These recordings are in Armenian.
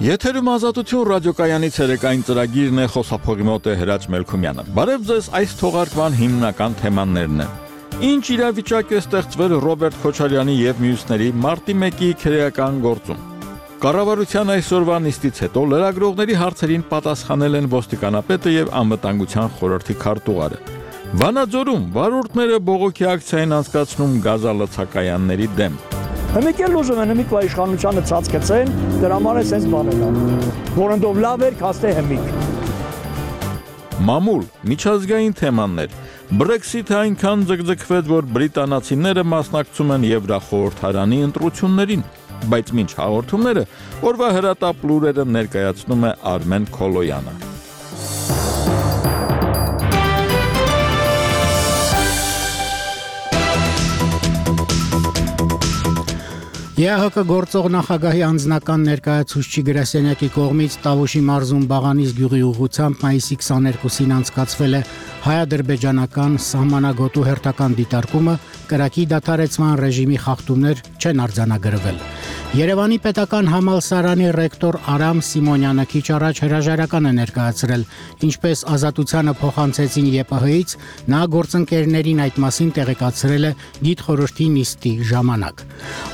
Եթերում ազատություն ռադիոկայանի ցերեկային ծրագիրն է, խոսափողի մոտ է Հրաչ Մելքումյանը։ Բարև ձեզ, այս թողարկման հիմնական թեմաներն են։ Ինչ իրավիճակ է ստեղծվել Ռոբերտ Քոչարյանի եւ մյուսների մարտի 1-ի քրեական գործում։ Կառավարության այսօրվա նիստից հետո լրագրողների հարցերին պատասխանել են ոստիկանապետը եւ անվտանգության խորհրդի քարտուղարը։ Վանաձորում վարորդները բողոքի ակցիա են անցկացնում գազալցակայանների դեմ։ Հմիկել ուզում են հմիկ իշխանությանը ցածկեցեն, դրա համար է sense բանել ան։ Որոնտով լավ էր քաստե հմիկ։ Մամուլ, միջազգային թեմաներ։ Brexit-ը այնքան ձգձգվեց, որ բրիտանացիները մասնակցում են Եվրախորհրդարանի ընտրություններին, բայց մինչ հաղորդումները օրվա հրատապ լուրերը ներկայացնում է Արմեն Քոլոյանը։ ԵԱՀԿ գործող նախագահի անձնական ներկայացուցիչի գրասենյակի կողմից Տավուշի մարզում Բաղանից գյուղի ուղղությամբ մայիսի 22-ին անցկացվել է հայ-ադրբեջանական սահմանագոտու հերթական դիտարկումը, կրակի դադարեցման ռեժիմի խախտումներ չեն արձանագրվել։ Երևանի պետական համալսարանի ռեկտոր Արամ Սիմոնյանը քիչ առաջ հրաժարական է ներկայացրել, ինչպես Ազատությանը փոխանցեցին ԵՊՀ-ից, նա գործընկերներին այդ մասին տեղեկացրել է գիտխորհրդի նիստի ժամանակ։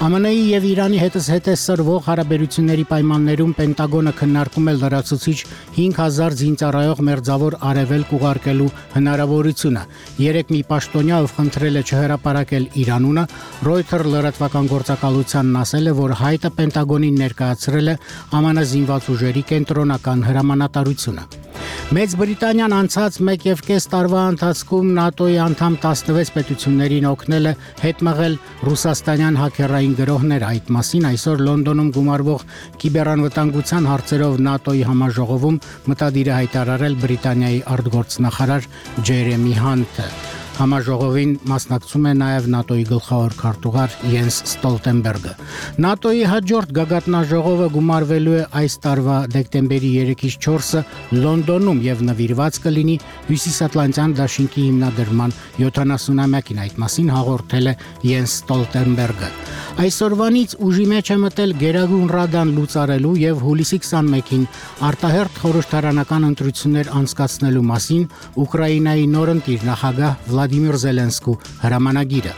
ԱՄՆ-ի եւ Իրանի հետզհետե սրվող հարաբերությունների պայմաններում Պենտագոնը քննարկում է լրացուցիչ 5000 զինծառայող մերձավոր արևելք ուղարկելու հնարավորությունը։ Երեք մի պաշտոնյա, ով խնդրել է չհրապարակել իր անունը, Reuters լրատվական գործակալությանն ասել է, որ հայտը Պենտագոնին ներկայացրել է ԱՄՆ զինված ուժերի կենտրոնական հրամանատարությունը։ Մեծ Բրիտանիան անցած 1.5 տարվա ընթացքում ՆԱՏՕ-ի անդամ 16 պետություններին օգնել է հետմղել ռուսաստանյան հաքերային գրոհներ։ Այդ մասին այսօր Լոնդոնում գումարվող կիբերանվտանգության հարցերով ՆԱՏՕ-ի համաժողովում մտադիր է հայտարարել Բրիտանիայի արտգործնախարար Ջերեմի Հանթը։ Համաժողովին մասնակցում է նաև ՆԱՏՕ-ի գլխավոր քարտուղար Յենս Ստոլտենբերգը։ ՆԱՏՕ-ի հաջորդ գագաթնաժողովը գումարվելու է այս տարվա դեկտեմբերի 3-ից 4-ը Լոնդոնում եւ նվիրված կլինի Հյուսիսատլանտյան դաշինքի հիմնադրման 70-ամյակին, այդ մասին հաղորդել է Յենս Ստոլտենբերգը։ Այսօրվանից ուժի մեջ է մտել Գերագույն Ռադան լուծարելու եւ հուլիսի 21-ին արտահերթ խորհրդարանական ընտրություններ անցկացնելու մասին Ուկրաինայի նորընտիր նախագահ Վլադիմիր Զելենսկու հրամանագիրը։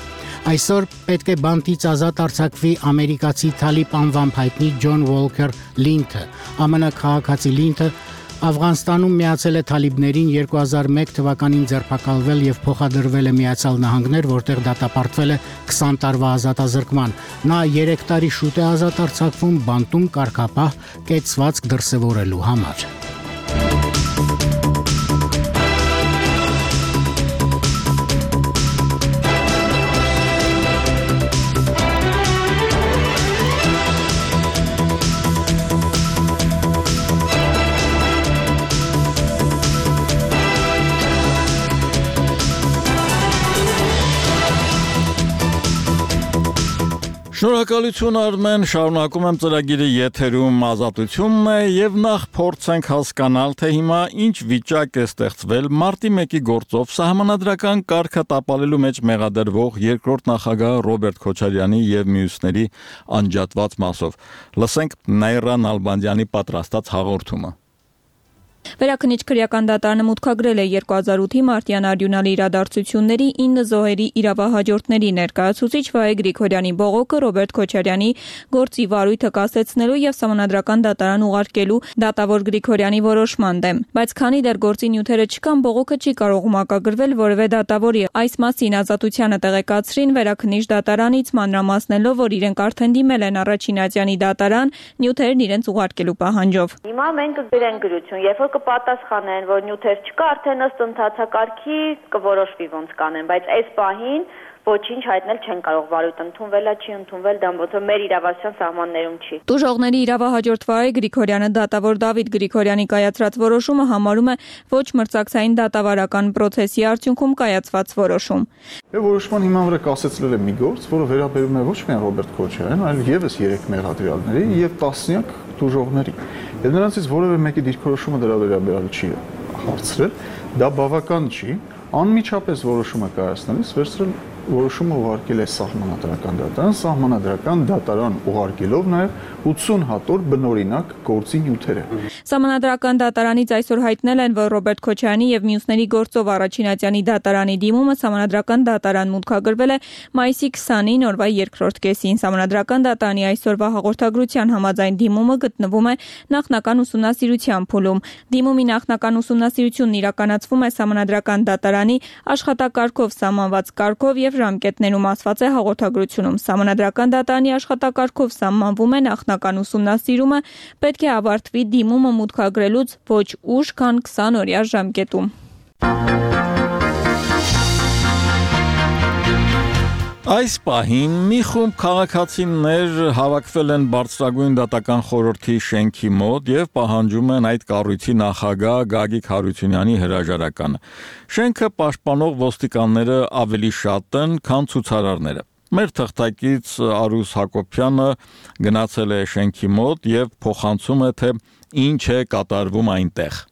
Այսօր պետք է բանտից ազատ արձակվի ամերիկացի Թալիբ անվամբ հայտնի Ջոն Ուոլքեր Լինթը։ ԱՄՆ քաղաքացի Լինթը Աֆղանստանում միացել է թալիբներին 2001 թվականին ձերբակալվել եւ փոխադրվել է Միացյալ Նահանգներ, որտեղ դատապարտվել է 20 տարվա ազատազրկման։ Նա 3 տարի շուտ է ազատ արձակվում բանտում կարգապահ կեցվածք դրսևորելու համար։ Շնորհակալություն Արմեն, շարունակում եմ ծրագիրը եթերում ազատությունն է եւ նախ փորձենք հասկանալ, թե հիմա ինչ վիճակ է ստեղծվել մարտի 1-ի գործով սահմանադրական կարգը տապալելու մեջ մեղադրվող երկրորդ նախագահ Ռոբերտ Քոչարյանի եւ մյուսների անջատված մասով։ Լսենք Նաիրա Նալբանդյանի պատրաստած հաղորդումը։ Վերաքննիչ քրեական դատարանը մուտքագրել է 2008-ի մարտյան արյունալի իրադարձությունների 9 զոհերի իրավահաջորդների ներկայացուցիչ Վահե Գրիգորյանի բողոքը Ռոբերտ Քոչարյանի գործի վարույթը կասեցնելու եւ սահմանադրական դատարան ուղարկելու դատավոր Գրիգորյանի որոշման դեմ, բայց քանի դեռ գործի նյութերը չկան, բողոքը չի կարող մակագրվել որևէ դատավորի։ Այս մասին Ազատությանը տեղեկացրին վերաքննիչ դատարանից, մանրամասնելով, որ իրենք արդեն դիմել են առաջին ատյանի դատարան նյութերն իրենց ուղարկելու պահանջով։ Հիմա մենք կգրենք գրություն, երբ որ կպատասխանեն, որ նյութեր չկա, արդեն ըստ ընթացակարգի կորոշվի ոնց կանեն, բայց այս պահին ոչինչ հայտնել չեն կարող, վարույթ ընդունվել է, չի ընդունվել, դա ոնց մեր իրավասության սահմաններում չի։ Տուժողների իրավահաջորդ Վահե Գրիգորյանը դատավոր Դավիթ Գրիգորյանի կայացրած որոշումը համարում է ոչ մրցակցային դատավարական պրոցեսի արդյունքում կայացված որոշում։ Որոշման հիման վրա կասեցնել է մի գործ, որը վերաբերում է ոչ միայն Ռոբերտ Քոչարյանին, այլ եւս 3 մեղադրյալների եւ տասնյակ տուժողների։ Եվ նրանցից որևէ մեկի դիրքորոշումը դրա վերաբերյալ չի հարցրել, դա բավական չի, անմիջապես որոշումը կայացնելիս վերցրել որոշումը ուղարկել է սահմանադրական դատարան, սահմանադրական դատարան ուղարկելով նաև 80 հատոր բնօրինակ գործի նյութերը։ Սահմանադրական դատարանից այսօր հայտնել են, որ Ռոբերտ Քոչարյանի եւ մյուսների գործով առաջին ատյանի դատարանի դիմումը սահմանադրական դատարան մուտքագրվել է մայիսի 20-ին օրվա երկրորդ կեսին։ Սահմանադրական դատարանի այսօրվա հաղորդագրության համաձայն դիմումը գտնվում է նախնական ուսումնասիրության փուլում։ Դիմումի նախնական ուսումնասիրությունն իրականացվում է սահմանադրական դատարանի աշխատակարգով սահմանված կարգով եւ ժամկետներում, ասված է հաղորդագրությունում։ Սահմանադրական դատարանի աշխատակարգով սահմանվում է նախնական ուսումնասիրումը, պետք է ավարտվի դիմումը մուտքագրելուց ոչ ուշ, քան 20 օրյա ժամկետում։ Այս պահին մի խումբ քաղաքացիներ հավաքվել են Բարձրագույն դատական խորհրդի շենքի մոտ եւ պահանջում են այդ կառույցի նախագահ Գագիկ Հարությունյանի հրաժարականը։ Շենքը պաշտպանող ոստիկանները ավելի շատ են, քան ցուցարարները։ Մեր թղթակից Արուս Հակոբյանը գնացել է շենքի մոտ եւ փոխանցում է, թե ինչ է կատարվում այնտեղ։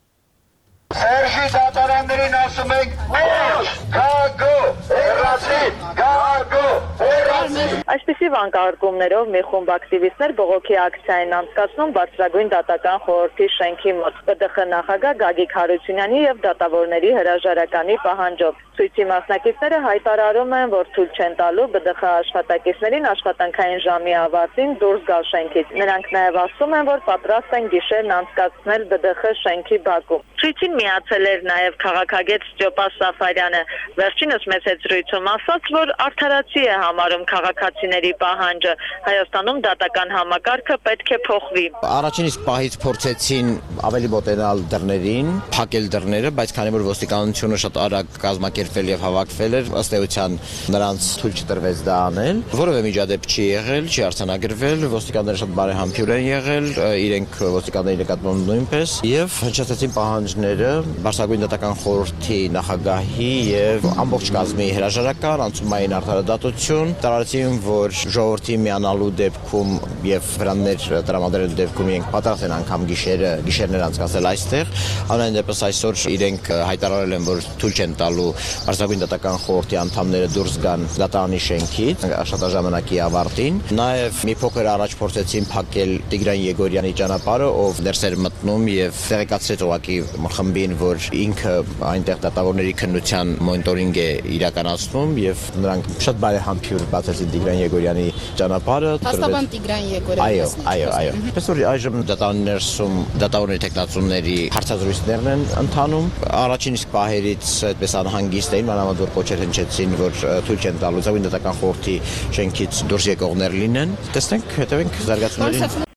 Սերժի դատարաններին ասում ենք ոչ, գագո, հեռացի, գագո, հեռացի։ Այսպիսի վանկարկումներով մի խումբ ակտիվիստներ բողոքի ակցիային անցկացնում Բարձրագույն դատական խորհրդի շենքի մոտ ԲԴԽ նախագահ Գագիկ Հարությունյանի եւ դատավորների հրաժարականի պահանջով։ Ցույցի մասնակիցները հայտարարում են, որ թույլ չեն տալու ԲԴԽ աշխատակիցներին աշխատանքային ժամի ավարտին դուրս գալ շենքից։ Նրանք նաեւ ասում են, որ պատրաստ են գիշերն անցկացնել ԲԴԽ շենքի բակում։ Ցույցին միացել էր նաև քաղաքագետ Ստյոպան Սաֆարյանը։ Վերջինս մեծ զրույցում ասաց, որ արդարացի է համարում քաղաքացիների պահանջը։ Հայաստանում դատական համակարգը պետք է փոխվի։ Առաջին իսկ պահից փորձեցին ավելի մոտենալ դռներին, փակել դռները, բայց քանի որ ոստիկանությունը շատ արագ կազմակերպվել եւ հավաքվել էր, ըստ էության նրանց թույլ չտրվեց դա անել։ Որևէ միջադեպ չի եղել, չի արձանագրվել, ոստիկանները շատ բարեհամբույր են եղել, իրենք ոստիկանների նկատմամբ նույնպես եւ հնչեցին պահանջները Բարձրագույն դատական խորհրդի նախագահի եւ ամբողջ կազմի հրաժարական, անցումային արդարադատություն, տարածին, որ ժողովրդի միանալու դեպքում եւ վրաններ տրամադրելու դեպքում իրենք պատրաստ են անգամ գիշերներ անցկացնել այստեղ։ Ամեն դեպս այսօր իրենք հայտարարել են, որ թույլ չեն տալու Բարձրագույն դատական խորհրդի անդամները դուրս գան դատարանի շենքից աշխատաժամանակի ավարտին։ Նաեւ մի փոքր առաջ փորձեցին փակել Տիգրան Եգորյանի ճանապարհը, ով ներս էր մտնում եւ տեղեկացրեց ուղղակի խմբին, որ ինքը այնտեղ դատավորների քննության մոնիտորինգ է իրականացնում եւ նրանք շատ բարեհամբույր բացեցին Տիգրան Եգորյանի ճանապարհը։ Հաստաբան Տիգրան Եգորյանը։ Այո։ Պես որ այժմ դատարանի ներսում դատավորների տեխնացումների հարցազրույցներն են ընթանում։ Առաջին իսկ պահերից այդպես անհանգիստ էին, մանավանդ որ կոչեր հնչեցին, որ թույլ չեն տալու Բարձրագույն դատական խորհրդի շենքից դուրս եկողներ լինեն։ Տեսնենք, հետևենք զարգացումներին։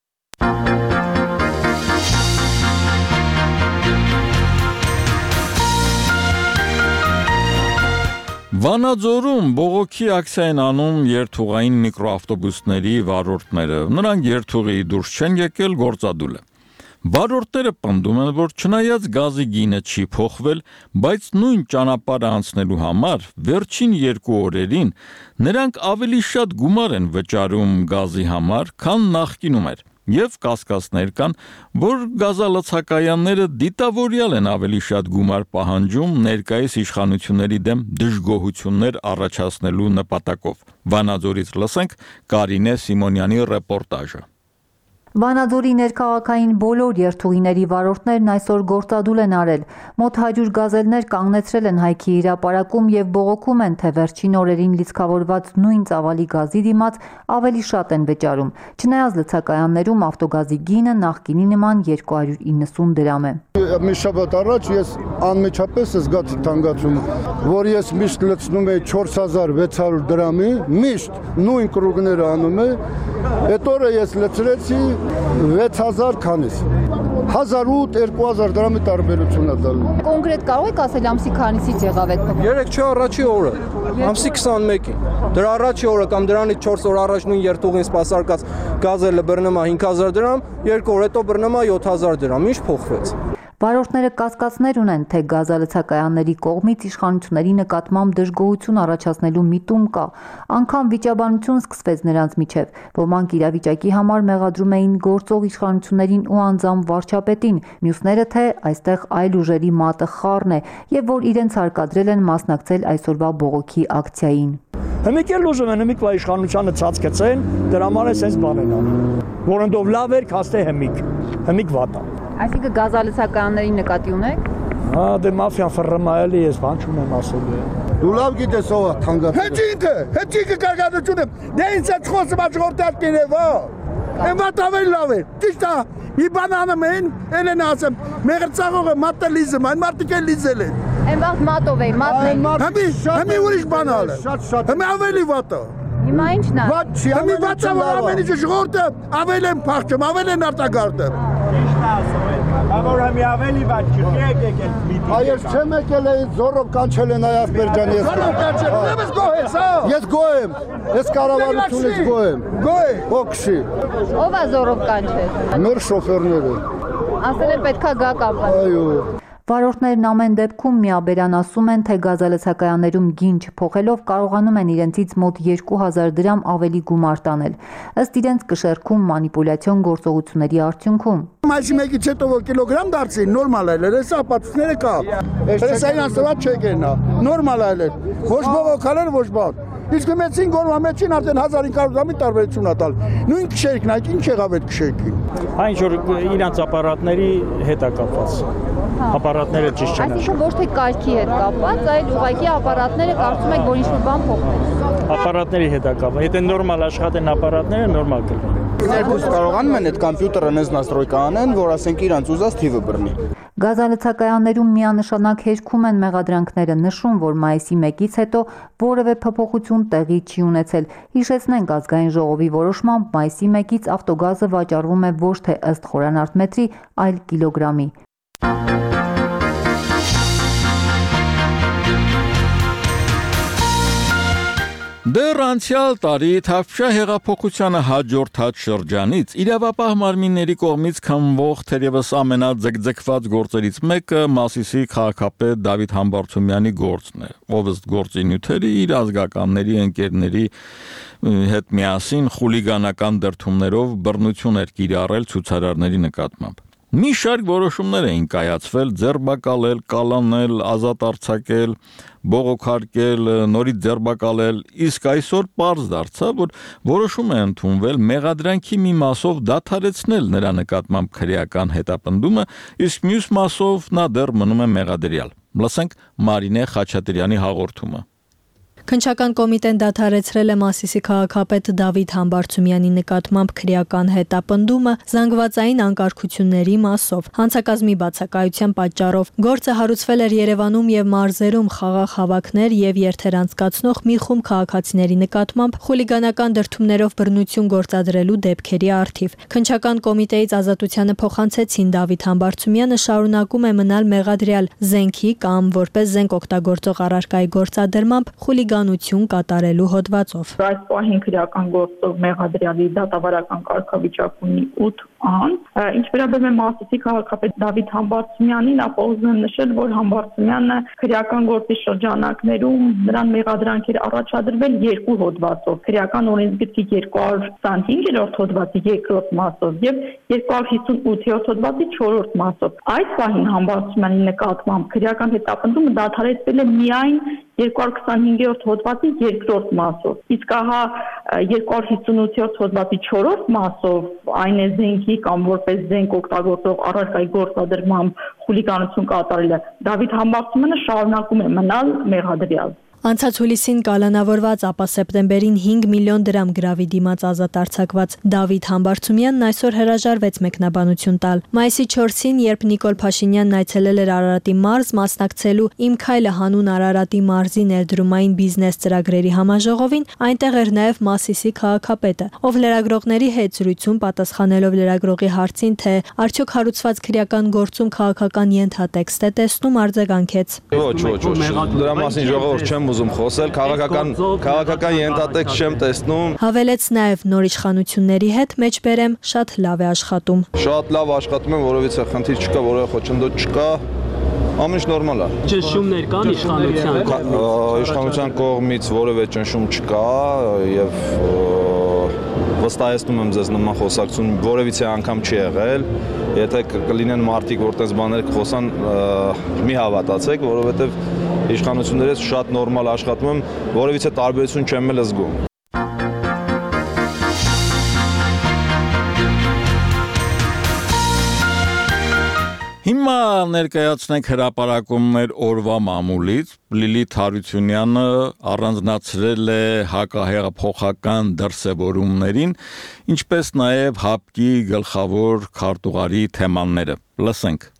Վանաձորում բողոքի ակցիա են անում երթուղային միկրոավտոբուսների վարորդները։ Նրանք երթուղի դուրս չեն եկել, գործադուլ է։ Վարորդները պնդում են, որ չնայած գազի գինը չի փոխվել, բայց նույն ճանապարհը անցնելու համար վերջին 2 օրերին նրանք ավելի շատ գումար են վճարում գազի համար, քան նախկինում էր։ Եվ կասկածներ կան, որ գազալցակայանները դիտավորյալ են ավելի շատ գումար պահանջում ներկայիս իշխանությունների դեմ դժգոհություններ առաջացնելու նպատակով։ Վանաձորից լսենք Կարինե Սիմոնյանի ռեպորտաժը։ Վանաձորի ներքաղաքային բոլոր երթուղիների վարորդներն այսօր գործադուլ են արել։ Մոտ 100 գազելներ կանգնեցրել են հայքի հրապարակում եւ բողոքում են, թե վերջին օրերին լիցքավորված նույն ծավալի գազի դիմաց ավելի շատ են վճարում։ Չնայած լցակայաններում ավտոգազի գինը նախկինի նման 290 դրամ է։ Մի շաբաթ առաջ ես անմիջապես զգացի թանկացում, որ ես միշտ լցնում էի 4600 դրամի, միշտ նույն կրուգները անում է, այդ օրը ես լցրեցի 6000 քանիս։ 1008-2000 դրամի տարբերություն է տալու։ Կոնկրետ կարող եք ասել ամսի քանիսից եղավ այդ փոփոխությունը։ 3 չէ առաջի օրը, ամսի 21-ին։ Դրա առաջի օրը կամ դրանից 4 օր առաջ նույն երթուղին սպասարկած գազելը բռնում է 5000 դրամ, 2 օր հետո բռնում է 7000 դրամ։ Ինչ փոխվեց։ Վարորդները կասկածներ ունեն, թե գազալցակայանների կողմից իշխանությունների նկատմամբ դժգոհություն առաջացնելու միտում կա։ Անգամ վիճաբանություն սկսվեց նրանց միջև։ Ոմանք իրավիճակի համար մեղադրում էին գործող իշխանություններին ու անձամբ վարչապետին, մյուսները թե այստեղ այլ ուժերի մատը խառն է եւ որ իրենց հարկադրել են մասնակցել այսօրվա բողոքի ակցիային։ Հիմիկ էլ ուզում են հիմիկվա իշխանությանը ցածկեցեն, դրա համար է sense բաներ անում։ Որոնտով լավ էր, քաստե հիմիկ վատ է։ Այսինքն գազալցակայանների նկատի ունեք։ Հա, դե մաֆիան ֆռմայելի է, բան չունեմ ասելու։ Դու լավ գիտես ով է թանկացել։ Հեչինքը կարգադրությունը, դե ինձ այդ խոսը բաժորդած կերևա։ Եմ վատ ավելի լավ է, ճիշտ է, մի բան անում են, էլ են ասեմ, մեղրծաղողը մատելիզմ, այն մարդիկ էլ լիզել են։ Եմ վաղ մատով է, մատն է։ Հիմի ուրիշ բան ալը, հիմի ավելի վատ է։ Հիմա ինչն է։ Վատ չի, հիմի վատ է, որ ամեն ինչը ժողովուրդը ավել են փախչում, ավել են արտագարտում։ Ճիշտ ասում են, որ հիմի ավելի վատ չի, եկել միտինգ։ Այս չեմ եկել էի զորով կանչել են Այասպեր ջան ես։ Զորով կանչել, ես գոհ ես, հա։ Ես գոհ եմ, ես կառավարությունից գոհ եմ։ Գոհ է։ Օքշի։ Ո՞վ է զորով կանչել։ Մեր շոֆերները։ Ասել են պետքա գա կապան։ Այո։ Վարորդներն ամեն դեպքում միաբերան ասում են, թե գազալցակայաններում գին չփոխելով կարողանում են իրենցից մոտ 2000 դրամ ավելի գումար տանել։ Ըստ իրենց կշեռքում մանիպուլյացիոն գործողությունների արդյունքում։ Այսի մեկից հետո որ կիլոգրամ դարձին, նորմալ է, հեսա ապացույցները կա։ Հեսա իրան սված չեկեն, նորմալ է, ոչ բողոքալ ոչ բան։ Իսկ մեծին գորվա մեծին արդեն 1500 դրամի տարբերություն ա տալ։ Նույն քշերքն այդ ինչ եղավ այդ քշերքին։ Հա ինչ որ իրանց ապարատների հետ է կապված։ Ապարատները ճիշտ չեն։ Այսինքն ոչ թե կարգի հետ կապված, այլ ուղղակի ապարատները կարծում եք, որ ինչ-որ բան փոխվեց։ Ապարատների հետ է կապված։ Եթե նորմալ աշխատեն ապարատները, նորմալ կլինի։ Ներքուս կարողանում են այդ կոմպյուտերը նես նաստրոյկա անեն, որ ասենք իրանց ուզած թիվը բռնի։ Գազալցակայաններում միանշանակ հերքում են մեղադրանքները, նշում, որ մայիսի 1-ից հետո որևէ փոփոխություն տեղի չի ունեցել։ Հիշեցնենք, ազգային ժողովի որոշմամբ մայիսի 1-ից ավտոգազը վաճառվում է ոչ թե ըստ խորանարդ մետրի, այլ կիլոգրամի։ Դեռ անցյալ տարի Թավշյա հեղափոխությանը հաջորդած շրջանից իրավապահ մարմինների կողմից քննվող թերևս ամենաձգձգված գործերից մեկը Մասիսի քաղաքապետ Դավիթ Համբարձումյանի գործն է, ով ըստ գործի նյութերի իր ազգականների ընկերների հետ միասին խուլիգանական դրդումներով բռնություն էր կիրառել ցուցարարների նկատմամբ։ Մի շարք որոշումներ էին կայացվել, ձերբակալել, կալանել, ազատ արձակել, բողոքարկել, նորից ձերբակալել, իսկ այսօր պարզ դարձավ, որ որոշում է ընդունվել մեղադրանքի մի մասով դադարեցնել նրա նկատմամբ քրեական հետապնդումը, իսկ մյուս մասով նա դեռ մնում է մեղադրյալ։ Լսենք Մարինե Խաչատրյանի հաղորդումը։ Քննչական կոմիտեն դադարեցրել է Մասիսի քաղաքապետ Դավիթ Համբարձումյանի նկատմամբ քրեական հետապնդումը զանգվածային անկարգությունների մասով։ Հանցակազմի բացակայության պատճառով գործը հարուցվել էր Երևանում եւ մարզերում խաղաղ հավաքներ եւ երթեր անցկացնող մի խումբ քաղաքացիների նկատմամբ խուլիգանական դրդումներով բռնություն գործադրելու դեպքերի առթիվ։ Քննչական կոմիտեից ազատությանը փոխանցեցին Դավիթ Համբարձումյանը շարունակում է մնալ մեղադրյալ զենքի կամ որպես զենք օգտագործող առարկայի գործադրմամբ խուլիգանություն կատարելու հոդվածով։ Այս պահին քրեական գործով մեղադրյալի դատավարական կարգավիճակ ունի 8 անձ։ Ինչ վերաբերում է Մասիսի քաղաքապետ Դավիթ Համբարձումյանին, ապա ուզում եմ նշել, որ Համբարձումյանը քրեական գործի շրջանակներում նրան մեղադրանքեր առաջադրվել 2 հոդվածով՝ քրեական օրենսգրքի 225-րդ հոդվածի 2-րդ մասով եւ 258-րդ հոդվածի 4-րդ մասով։ Այս պահին Համբարձումյանի նկատմամբ քրեական հետապնդումը դադարեցվել է միայն 225-րդ հոդվածի 2-րդ մասով, իսկ ահա 258-րդ հոդվածի 4-րդ մասով այն է զենքի կամ որպես զենք օգտագործող առարկայի գործադրմամբ խուլիգանություն կատարելը, Դավիթ Համբարձումյանը շարունակում է մնալ մեղադրյալ։ Անցած հուլիսին կալանավորված, ապա սեպտեմբերին 5 միլիոն դրամ գրավի դիմաց ազատ արձակված Դավիթ Համբարձումյանն այսօր հրաժարվեց մեկնաբանություն տալ։ Մայիսի 4-ին, երբ Նիկոլ Փաշինյանն այցելել էր Արարատի մարզ մասնակցելու Իմ քայլը հանուն Արարատի մարզի ներդրումային բիզնես ծրագրերի համաժողովին, այնտեղ էր նաև Մասիսի քաղաքապետը, ով լրագրողների հետ զրույցում պատասխանելով լրագրողի հարցին, թե արդյոք հարուցված քրեական գործում քաղաքական ենթատեքստ է տեսնում, արձագանքեց. Ոչ, դրա մասին ժողովուրդ չեմ ուզում խոսել, քաղաքական ենթատեքստ չեմ տեսնում։ Հավելեց նաև նոր իշխանությունների հետ մեջբերեմ շատ լավ է աշխատում։ Շատ լավ աշխատում են, որովհետեւ խնդիր չկա, որևէ խոչընդոտ չկա։ Ամեն ինչ նորմալ է։ Ճնշումներ կան իշխանության կողմից որևէ ճնշում չկա եւ վստահեցնում եմ ձեզ նման խոսակցություն որևիցե անգամ չի եղել։ Եթե կլինեն մարդիկ, որ տես բաներ կխոսան, մի հավատացեք, որովհետեւ իշխանություններից շատ նորմալ աշխատում եմ, որևիցե տարբերություն չեմ էլ զգում։ Հիմա ներկայացնենք հրապարակումներ օրվա մամուլից։ Լիլիթ Հարությունյանը առանձնացրել է հակահեղափոխական դրսևորումներին, ինչպես նաև ՀԱՊԿ-ի գլխավոր քարտուղարի թեմաները։ Լսենք։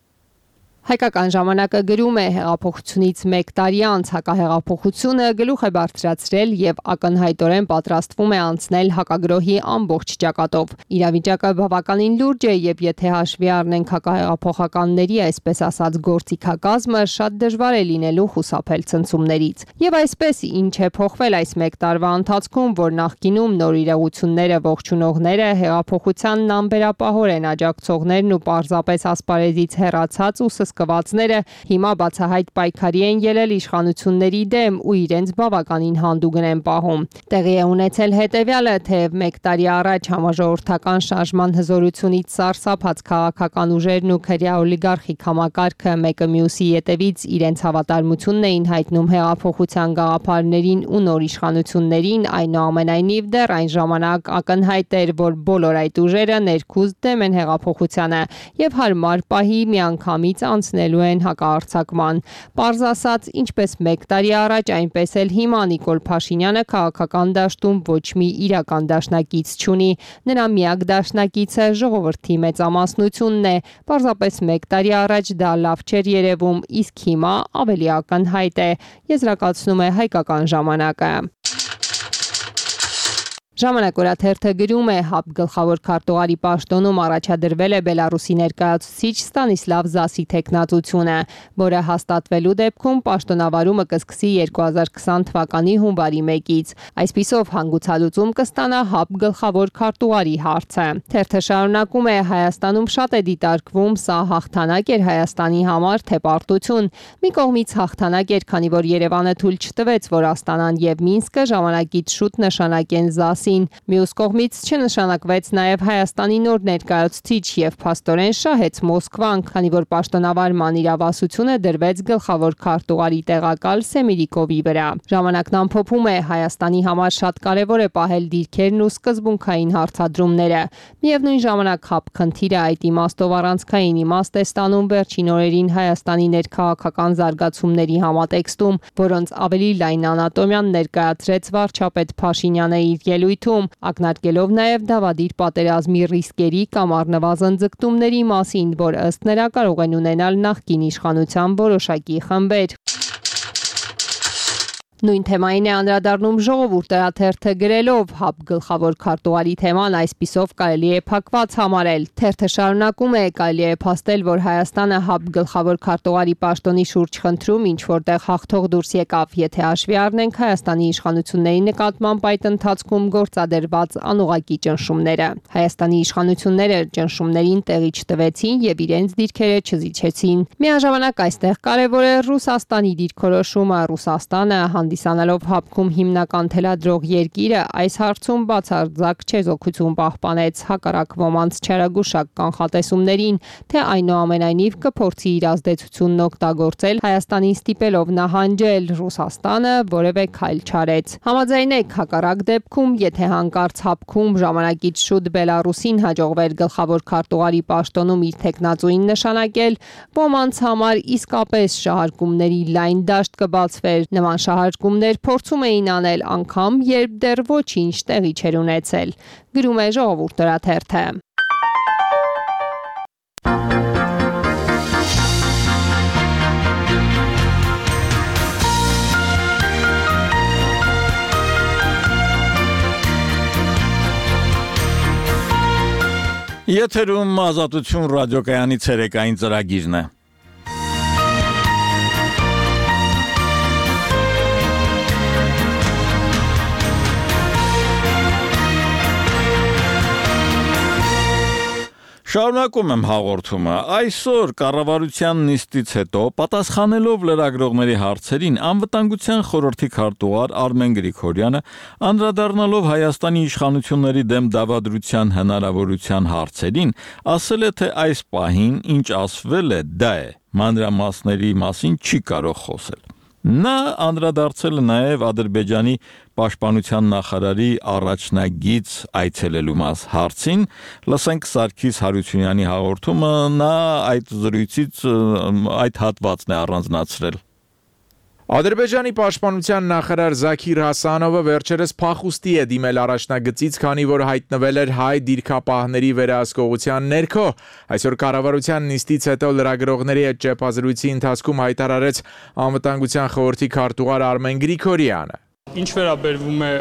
Հայկական ժամանակը գրում է հեղափոխությունից 1 տարի անց հակահեղափոխությունը գլուխ է բարձրացրել եւ ակնհայտորեն պատրաստվում է անցնել հակագրոհի ամբողջ ճակատով։ Իրավիճակը բավականին լուրջ է եւ եթե հաշվի առնենք հակահեղափոխականների այսպես ասած գործիքակազմը, շատ դժվար է լինելու խուսափել ցնցումներից։ Եվ այսպես ինչ է փոխվել այս 1 տարվա ընթացքում, որ նախկինում նոր իրողությունները ողջունողները հեղափոխությանն անբերապահորեն աջակցողներն ու պարզապես ասպարեզից հեռացած ու կվածները հիմա բացահայտ պայքարի են ելել իշխանությունների դեմ ու իրենց բավականին հանդուգն են պահում։ Տեղի է ունեցել հետևյալը, թեև 1 տարի առաջ համաժողովրդական շարժման հզորությունից սարսափած քաղաքական ուժերն ու քրյա օլիգարխիկ համակարգը մեկը մյուսի ետևից իրենց հավատարմությունն էին հայտնում հեղափոխության գաղափարներին ու նոր իշխանություններին, այնուամենայնիվ դեռ այն ժամանակ ակնհայտ էր, որ բոլոր այդ ուժերը ներքուզ դեմ են հեղափոխությանը եւ հարմար պահի միանգամից անցնելու են հակաարձակման։ Պարզ ասած, ինչպես 1 տարի առաջ, այնպես էլ հիմա Նիկոլ Փաշինյանը քաղաքական դաշտում ոչ մի իրական դաշնակից չունի։ Նրա միակ դաշնակիցը ժողովրդի մեծամասնությունն է։ Պարզապես 1 տարի առաջ դա լավ չէր երևում, իսկ հիմա ավելի ակնհայտ է, եզրակացնում է Հայկական ժամանակը։ Ժամանակ օրաթերթը գրում է ՀԱՊԿ գլխավոր քարտուղարի պաշտոնում առաջադրվել է Բելարուսի ներկայացուցիչ Ստանիսլավ Զասի թեկնածությունը, որը հաստատվելու դեպքում պաշտոնավարումը կսկսի 2020 թվականի հունվարի 1-ից։ Այսպիսով հանգուցալուծում կստանա ՀԱՊԿ գլխավոր քարտուղարի հարցը։ Թերթը շարունակում է Հայաստանում շատ է դիտարկվում, սա հաղթանակ էր Հայաստանի համար, թե պարտություն։ Մի կողմից հաղթանակ էր, քանի որ Երևանը թույլ չտվեց, որ Աստանան եւ Մինսկը ժամանակից շուտ նշանակեն Զասի Մյուս կողմից չնշանակվեց նաև Հայաստանի նոր ներկայացուցիչ եւ փաստորեն շահեց Մոսկվան, քանի որ պաշտոնավարման իրավասությունը դրվեց գլխավոր քարտուղարի տեղակալ Սեմիրիկովի վրա։ Ժամանակն ամփոփում է Հայաստանի համար շատ կարևոր է պահել դիրքերն ու սկզբունքային հարցադրումները։ Միևնույն ժամանակ ՀԱՊԿ խնդիրը այդ իմաստով առանցքային իմաստ է ստանում վերջին օրերին Հայաստանի ներքաղաքական զարգացումների համատեքստում, որոնց ավելի լայն անատոմիան ներկայացրեց վարչապետ Փաշինյանը իր ելույթում, ակնարկելով նաև դավադիր պատերազմի ռիսկերի կամ առնվազն ձգտումների մասին, որ ըստ նրա կարող են ունենալ նախկին իշխանության որոշակի խմբեր։ Նույն թեմային է անդրադառնում Ժողովուրդ թերթը գրելով ՀԱՊԿ գլխավոր քարտուղարի թեման այսպիսով կարելի է փակված համարել։ Թերթը շարունակում է կարելի է փաստել, որ Հայաստանը ՀԱՊԿ գլխավոր քարտուղարի պաշտոնի շուրջ խնդրում ինչ որտեղ հաղթող դուրս եկավ, եթե հաշվի առնենք Հայաստանի իշխանությունների նկատմամբ այդ ընթացքում գործադրված անուղղակի ճնշումները։ Հայաստանի իշխանությունները ճնշումներին տեղի չտվեցին եւ իրենց դիրքերը չզիջեցին։ Միաժամանակ այստեղ կարևոր է Ռուսաստանի դիրքորոշումը։ Ռուսաստանը հանդիսանալով ՀԱՊԿ-ում հիմնական թելադրող երկիրը այս հարցում բացարձակ չեզոքություն պահպանեց, հակառակ ոմանց չարագուշակ կանխատեսումներին, թե այնուամենայնիվ կփորձի իր ազդեցությունն օգտագործել Հայաստանին ստիպելով նահանջել, Ռուսաստանը որևէ քայլ չարեց։ Համաձայնեք, հակառակ դեպքում, եթե հանկարծ ՀԱՊԿ-ում ժամանակից շուտ Բելարուսին հաջողվեր գլխավոր քարտուղարի պաշտոնում իր թեկնածուին նշանակել, ոմանց համար իսկապես շահարկումների լայն դաշտ կբացվեր։ Նման շահարկումներ փորձում էին անել անգամ, երբ դեռ ոչինչ տեղի չէր ունեցել։ Գրում է Ժողովուրդ թերթը։ Եթերում Ազատություն ռադիոկայանի ցերեկային ծրագիրն է։ Շարունակում եմ հաղորդումը։ Այսօր կառավարության նիստից հետո պատասխանելով լրագրողների հարցերին անվտանգության խորհրդի քարտուղար Արմեն Գրիգորյանը անդրադառնալով Հայաստանի իշխանությունների դեմ դավադրության հնարավորության հարցերին ասել է, թե այս պահին ինչ ասվել է, դա է, մանրամասների մասին չի կարող խոսել։ Նա անդրադարձել է նաև Ադրբեջանի պաշտպանության նախարարի առաջնագիծ այցելելու հարցին, լսենք Սարգիս Հարությունյանի հաղորդումը, նա այդ զրույցից այդ հատվածն է առանձնացրել։ Ադրբեջանի պաշտպանության նախարար Զաքիր Հասանովը վերջերս փախուստի է դիմել առաջնագծից, քանի որ հայտնվել էր հայ դիրքապահների վերահսկողության ներքո։ Այսօր կառավարության նիստից հետո լրագրողների հետ ճեպազրույցի ընթացքում հայտարարեց անվտանգության խորհրդի քարտուղար Արմեն Գրիգորյանը։ Ինչ վերաբերվում է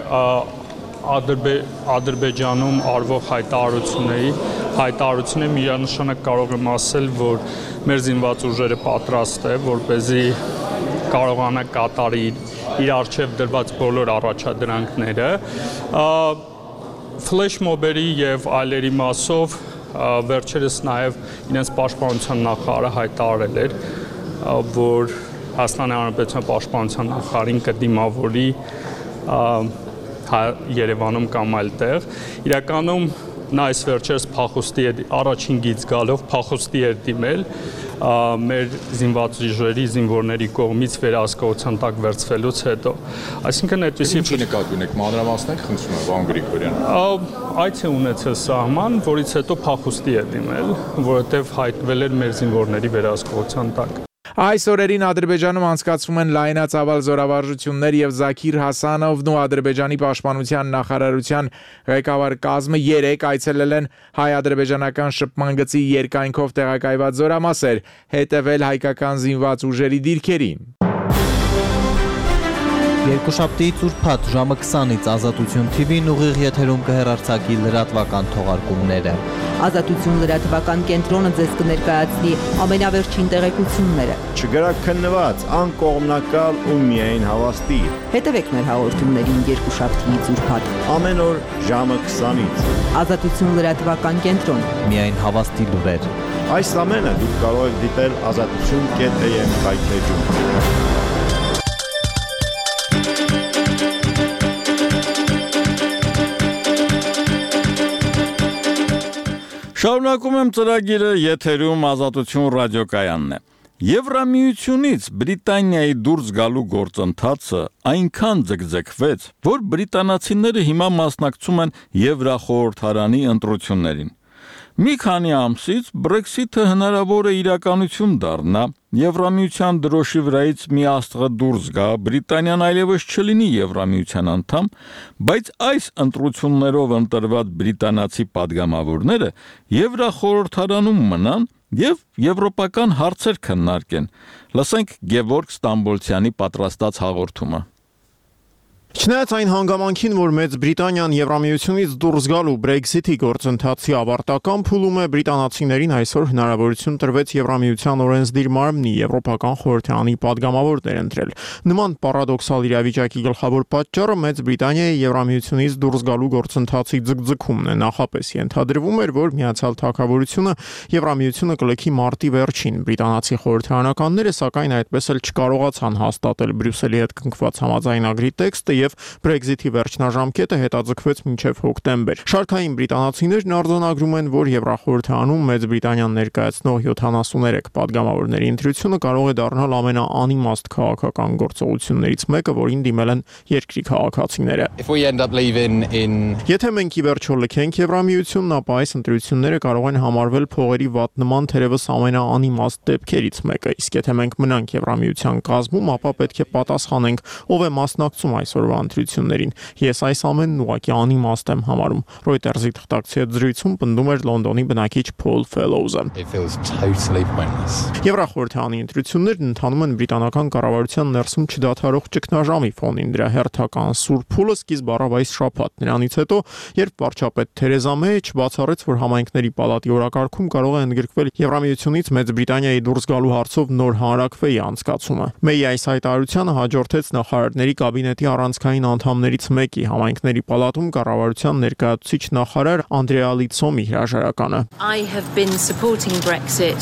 Ադրբեջանում արվող հայտարարությունների միանշանակ կարող եմ ասել, որ մեր զինված ուժերը պատրաստ է, որպեսզի կարողանա կատարի իր առջև դրված բոլոր առաջադրանքները, ֆլեշ մոբերի եւ այլերի մասով վերջերս նաեւ իրենց պաշտպանության նախարարը հայտարարել էր, որ Հայաստանի Հանրապետության պաշտպանության նախարարին կդիմավորի Երևանում կամ այլտեղ։ Իրականում նա այս վերջերս փախուստի առաջին գիծ գալով փախուստի էր դիմել մեր զինված ուժերի զինվորների կողմից վերահսկողության տակ վերցվելուց հետո։ Այսինքն այդպեսի Ինչի նկատի ունեք մանրամասներ, խնդրում եմ, պարոն Գրիգորյան։ Այդ է ունեցել սահման, որից հետո փախուստի է դիմել, որովհետև հայտնվել էր մեր զինվորների վերահսկողության տակ։ Այս օրերին Ադրբեջանում անցկացվում են լայնածավալ զորավարժություններ եւ Զաքիր Հասանովն ու Ադրբեջանի պաշտպանության նախարարության ղեկավար կազմը 3 այցելել են հայ-ադրբեջանական շփման գծի երկայնքով տեղակայված զորամասեր, հետևել հայկական զինված ուժերի դիրքերին։ Երկուշաբթիից ուրբաթ ժամը 20-ից Ազատություն TV-ն ուղիղ եթերում կհեռարձակի լրատվական թողարկումները։ Ազատություն լրատվական կենտրոնը ձեզ կներկայացնի ամենավերջին տեղեկությունները։ Չգրաքննված, անկողմնակալ ու միայն հավաստի։ Հետևեք մեր հաղորդումներին երկուշաբթիից ուրբաթ ամեն օր ժամը 20-ից։ Ազատություն լրատվական կենտրոն։ Միայն հավաստի լուրեր։ Այս ամենը դուք կարող եք դիտել azatutun.am հայթեջում։ Շարունակում եմ ծրագիրը եթերում Ազատություն ռադիոկայանն է։ Եվրամիությունից Բրիտանիայի դուրս գալու գործընթացը այնքան ձգձգվեց, որ բրիտանացիները հիմա մասնակցում են Եվրախորհրդարանի ընտրություններին։ Մի քանի ամսից Brexit-ը հնարավոր է իրականություն դառնա, Եվրամիության դրոշի վրայից մի աստղը դուրս գա, Բրիտանիան այլևս չլինի Եվրամիության անդամ, բայց այս ընտրություններով ընտրված բրիտանացի падգամավորները Եվրախորհրդարանում մնան եւ եվրոպական հարցեր քննարկեն։ Լսենք Գևորգ Ստամբոլցյանի պատրաստած հաղորդումը։ Չնայած այն հանգամանքին, որ Մեծ Բրիտանիան Եվրամիությունից դուրս գալու Brexit-ի գործընթացի ավարտական փուլում է, բրիտանացիներին այսօր հնարավորություն տրվեց Եվրամիության օրենսդիր մարմնի Եվրոպական խորհրդարանի падգամավորներ ընտրել։ Նման պարադոքսալ իրավիճակի գլխավոր պատճառը Մեծ Բրիտանիայի Եվրամիությունից դուրս գալու գործընթացի ձգձգումն է։ Նախապես ենթադրվում էր, որ Միացյալ Թագավորությունը Եվրամիությունը կլքի մարտի վերջին։ Բրիտանացի խորհրդարանականները սակայն այդպես էլ չկարողացան հաստատել Բրյուսելի հետ կնքված համաձայնագրի տեքստը եւ Brexit-ի վերջնաժամկետը հետաձգվեց մինչև հոկտեմբեր։ Շարքային բրիտանացիներն արձանագրում են, որ Եվրախորհրդարանում Մեծ Բրիտանիան ներկայացնող 73 падգամավորների ընտրությունը կարող է դառնալ ամենաանիմաստ քաղաքական գործողություններից մեկը, որին դիմել են երկրի քաղաքացիները։ Եթե մենք ի վերջո լքենք Եվրամիությունն, ապա այս ընտրությունները կարող են համարվել փողերի վատնման թերևս ամենաանիմաստ դեպքերից մեկը։ Իսկ եթե մենք մնանք Եվրամիության կազմում, ապա պետք է պատասխանենք, ով է մասնակցում այսօրվա ընտրություններին։ Ես այս ամենն ուղղակի անիմաստ եմ համարում։ Reuters-ի թղթակցի հետ զրույցում պնդում էր Լոնդոնի բնակիչ Փոլ Ֆելոուզը։ Եվրախորհրդարանի ընտրություններն ընթանում են բրիտանական կառավարության ներսում չդադարող ճգնաժամի ֆոնին։ Դրա հերթական սուր փուլը սկիզբ առավ այս շաբաթ։ Նրանից հետո, երբ վարչապետ Թերեզա Մեյը բացառեց, որ համայնքների պալատի օրակարգում կարող է ընդգրկվել Եվրամիությունից Մեծ Բրիտանիայի դուրս գալու հարցով նոր հանրաքվեի անցկացումը։ Մեյի այս հայտարարությանը հաջորդեց նախարարների կաբինետի առանցքային միջազգային անդամներից մեկի համայնքների պալատում կառավարության ներկայացուցիչ նախարար Անդրեա Լիցոմի հրաժարականը։ I have been supporting Brexit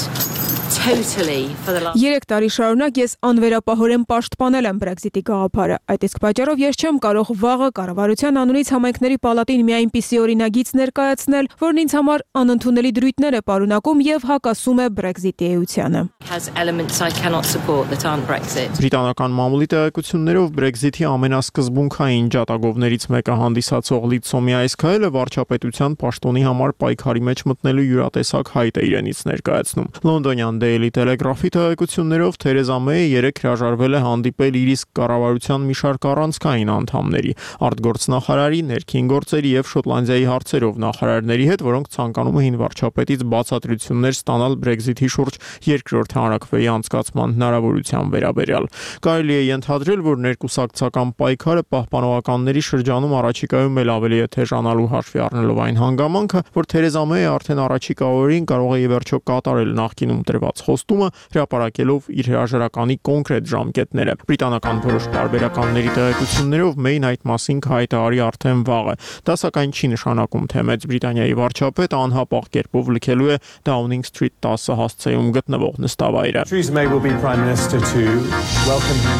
totally for the last 3 տարի շարունակ ես անվերապահորեն պաշտպանել եմ Brexit-ի գաղափարը։ Այդ իսկ պատճառով ես չեմ կարող վաղը կառավարության անունից համայնքների պալատին մի այնպիսի օրինագիծ ներկայացնել, որն ինձ համար անընդունելի դրույթներ է պարունակում եւ հակասում է Brexit-ի էությանը։ has elements I cannot support that aren't Brexit. Բրիտանական մամուլի տեղեկություններով Brexit-ի ամենասկզբունքային ջատագովներից մեկը հանդիսացող Լիցոմի այս քայլը վարչապետության պաշտոնի համար պայքարի մեջ մտնելու յուրատեսակ հայտ է իրենից ներկայացնում։ Լոնդոնյան Daily Telegraph-ի տեղեկություններով Թերեզա Մեյը երեկ հրաժարվել է հանդիպել իր իսկ կառավարության մի շարք առանցքային անդամների, արտգործնախարարի, ներքին գործերի եւ Շոտլանդիայի հարցերով նախարարների հետ, որոնք ցանկանում էին վարչապետից բացատրություններ ստանալ Brexit-ի շուրջ երկրորդ հանրաքվեի անցկացման հնարավորության վերաբերյալ։ Կարելի է ենթադրել, որ ներկուսակցական պայքարը պահպանողականների շրջանում առաջիկայում էլ ավելի է թեժանալու հաշվի առնելով այն հանգամանքը, որ Թերեզա Մեյը արդեն առաջիկա օրերին կարող է ի վերջո կատարել նախկինում տրված խոստումը, հրապարակելով իր հրաժարականի կոնկրետ ժամկետները։ Բրիտանական որոշ տարբերականների տեղեկություններով Մեյն այդ մասին կհայտարարի արդեն վաղը։ Դա սակայն չի նշանակում, թե Մեծ Բրիտանիայի վարչապետը անհապաղ կերպով լքելու է Downing Street 10 հասցեում գտնվող նստավայրը։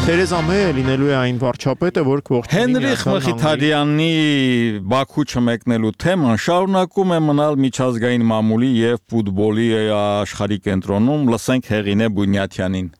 Թերեզա Մեյը լինելու է այն վարչապետը, որ Հենրիխ Մխիթարյանի Բաքու չմեկնելու թեման շարունակում է մնալ միջազգային մամուլի եւ ֆուտբոլի աշխարհի կենտրոնում, լսենք Հեղինե Բունյաթյանին։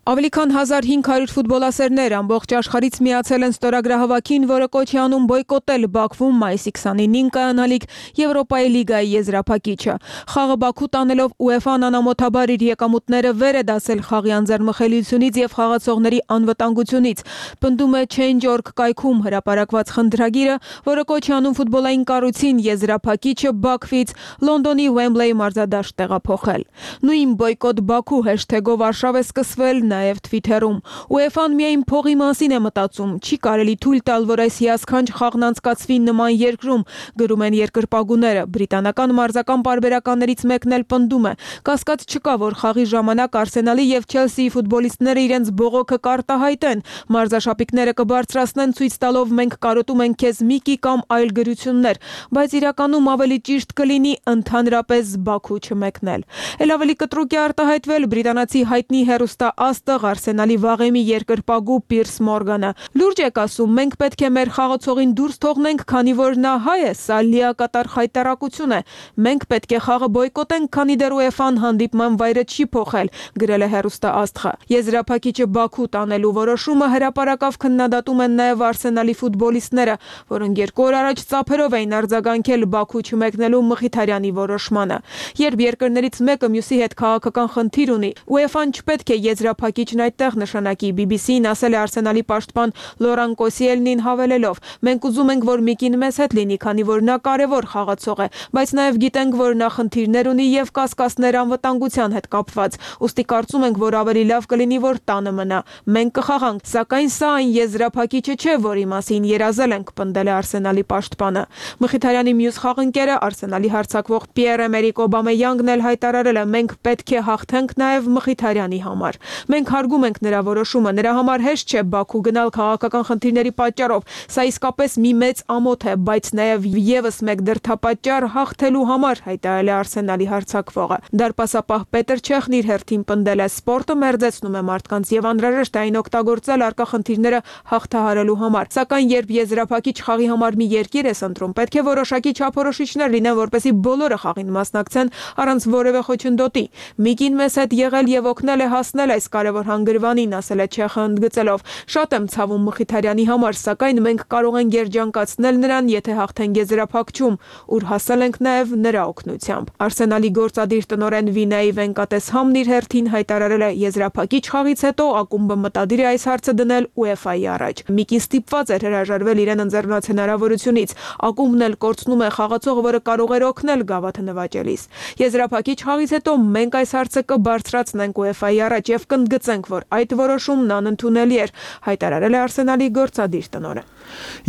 Ավելի քան 1500 ֆուտբոլասերներ ամբողջ աշխարհից միացել են ստորագրահավաքին, որը կոչ է անում բոյկոտել Բաքվում մայիսի 29-ին կայանալիք Եվրոպայի լիգայի եզրափակիչը։ Խաղը Բաքու տանելով UEFA-ն անամոթաբար իր եկամուտները վեր է դասել խաղի անձեռնմխելիությունից եւ խաղացողների անվտանգությունից։ Պնդում է Change.org կայքում հրապարակված խնդրագիրը, որը կոչ է անում ֆուտբոլային կառույցին եզրափակիչը Բաքվից Լոնդոնի Wembley մարզադաշտ տեղափոխել։ Նույն բոյկոտ Բաքու հեշթեգով արշավ է սկսվել նաև Twitter-ում։ UEFA-ն միայն փողի մասին է մտածում, չի կարելի թույլ տալ, որ այս հիասքանչ խաղն անցկացվի նման երկրում, գրում են երկրպագուները։ Բրիտանական մարզական պարբերականներից մեկն էլ պնդում է. կասկած չկա, որ խաղի ժամանակ Արսենալի եւ Չելսիի ֆուտբոլիստները իրենց բողոքը կարտահայտեն։ Մարզաշապիկները կբարձրացնեն ցույց տալով մենք կարոտում ենք քեզ Միկի կամ այլ գրություններ, բայց իրականում ավելի ճիշտ կլինի ընդհանրապես Բաքու չմեկնել։ Էլ ավելի կտրուկ է արտահայտվել բրիտանացի հայտնի հեռուստա Աստղ Արսենալի վաղեմի երկրպագու Պիրս Մորգանը։ Լուրջ եք ասում, մենք պետք է մեր խաղացողին դուրս թողնենք, քանի որ նա հայ է, սա լիակատար խայտարակություն է։ Մենք պետք է խաղը բոյկոտենք, քանի դեռ UEFA-ն հանդիպման վայրը չի փոխել, գրել է հեռուստա Աստղը։ Եզրափակիչը Բաքու տանելու որոշումը հրապարակավ քննադատում են նաև Արսենալի ֆուտբոլիստները, որոնք 2 օր առաջ ծափերով էին արձագանքել Բաքու չմեկնելու Մխիթարյանի որոշմանը։ Երբ երկրներից մեկը մյուսի հետ քաղաքական խնդիր ունի, UEFA-ն չպետք է եզրափակիչն այդտեղ նշանակի, BBC-ն ասել է Արսենալի պաշտպան Լորան Կոսիելնին հավելելով. մենք ուզում ենք, որ Միկին մեզ հետ լինի, քանի որ նա կարևոր խաղացող է, բայց նաև գիտենք, որ նա խնդիրներ ունի եւ կասկածներ անվտանգության հետ կապված։ Ուստի կարծում ենք, որ ավելի լավ կլինի, որ տանը մնա։ Մենք կխաղանք, սակայն սա այն եզրափակիչը չէ, որի մասին երազել ենք, պնդել է Արսենալի պաշտպանը։ Մխիթարյանի մյուս խաղընկերը Արսենալի հարձակվող Պիեր-Էմերիկ Օբամեյանգն էլ հայտարարել է. մենք պետք է հաղթենք նաև Մխիթարյանի համար։ Մենք հարգում ենք նրա որոշումը, նրա համար հեշտ չէ Բաքու գնալ քաղաքական խնդիրների պատճառով։ Սա իսկապես մի մեծ ամոթ է, բայց նաև եւս մեկ դրդապատճառ հաղթելու համար, հայտարարել է Արսենալի հարձակվողը։ Դարպասապահ Պետր Չեխն իր հերթին պնդել է. սպորտը մերձեցնում է մարդկանց եւ անհրաժեշտ է այն օգտագործել առկա խնդիրները հաղթահարելու համար։ Սակայն երբ եզրափակիչ խաղի համար մի երկիր ես ընտրում, պետք է որոշակի չափորոշիչներ լինեն, որպեսզի բոլորը խաղին մասնակցեն առանց որևէ խոչընդոտի։ Միկին մեզ հետ եղել եւ օգնել է հասնել այս կարևոր հանգրվանին, ասել է Չեխը ընդգծելով. շատ եմ ցավում Մխիթարյանի համար, սակայն մենք կարող ենք երջանկացնել նրան, եթե հաղթենք եզրափակչում, ուր հասել ենք նաև նրա օգնությամբ։ Արսենալի գործադիր տնօրեն Վինայի Վենկատես-Համն իր հերթին հայտարարել է եզրափակիչ խաղից հետո ակումբը մտադիր է այս հարցը դնել UEFA-ի առաջ։ Միկին ստիպված էր հրաժարվել իրեն ընձեռնված հնարավորությունից։ Ակումբն էլ կորցնում է խաղացողը, որը կարող էր օգնել գավաթը նվաճելիս։ Եզրափակիչ խաղից հետո մենք այս հարցը կբարձրացնենք UEFA-ի առաջ եւ կընդգծենք, որ այդ որոշումն անընդունելի էր, հայտարարել է Արսենալի գործադիր տնօրեն։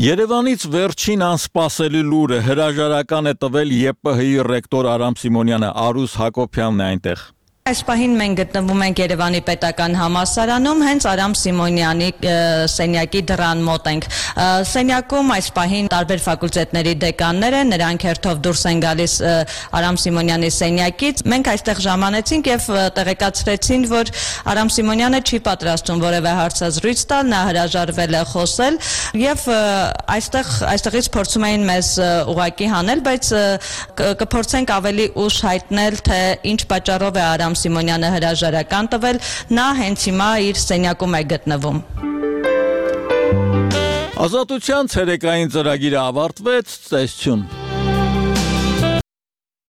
Երևանից վերջին անսպասելի լուրը հրաժարական է տվել ԵՊՀ-ի ռեկտոր Արամ Սիմոնյանը, Արուս Հակոբյանն է այնտեղ։ Այս պահին մենք գտնվում ենք Երևանի պետական համալսարանում, հենց Արամ Սիմոնյանի սենյակի դռան մոտ ենք։ Սենյակում այս պահին տարբեր ֆակուլտետների դեկաններ են, նրանք հերթով դուրս են գալիս Արամ Սիմոնյանի սենյակից։ Մենք այստեղ ժամանեցինք եւ տեղեկացրեցին, որ Արամ Սիմոնյանը չի պատրաստում որևէ հարցազրույց տալ, նա հրաժարվել է խոսել եւ այստեղից փորձում էին մեզ ուղակի հանել, բայց կփորձենք ավելի ուշ հայտնել, թե ինչ պատճառով է Արամ Սիմոնյանը հրաժարական տվել, նա հենց հիմա իր սենյակում է գտնվում։ Ազատության ցերեկային ծրագիրը ավարտվեց, ծեսություն։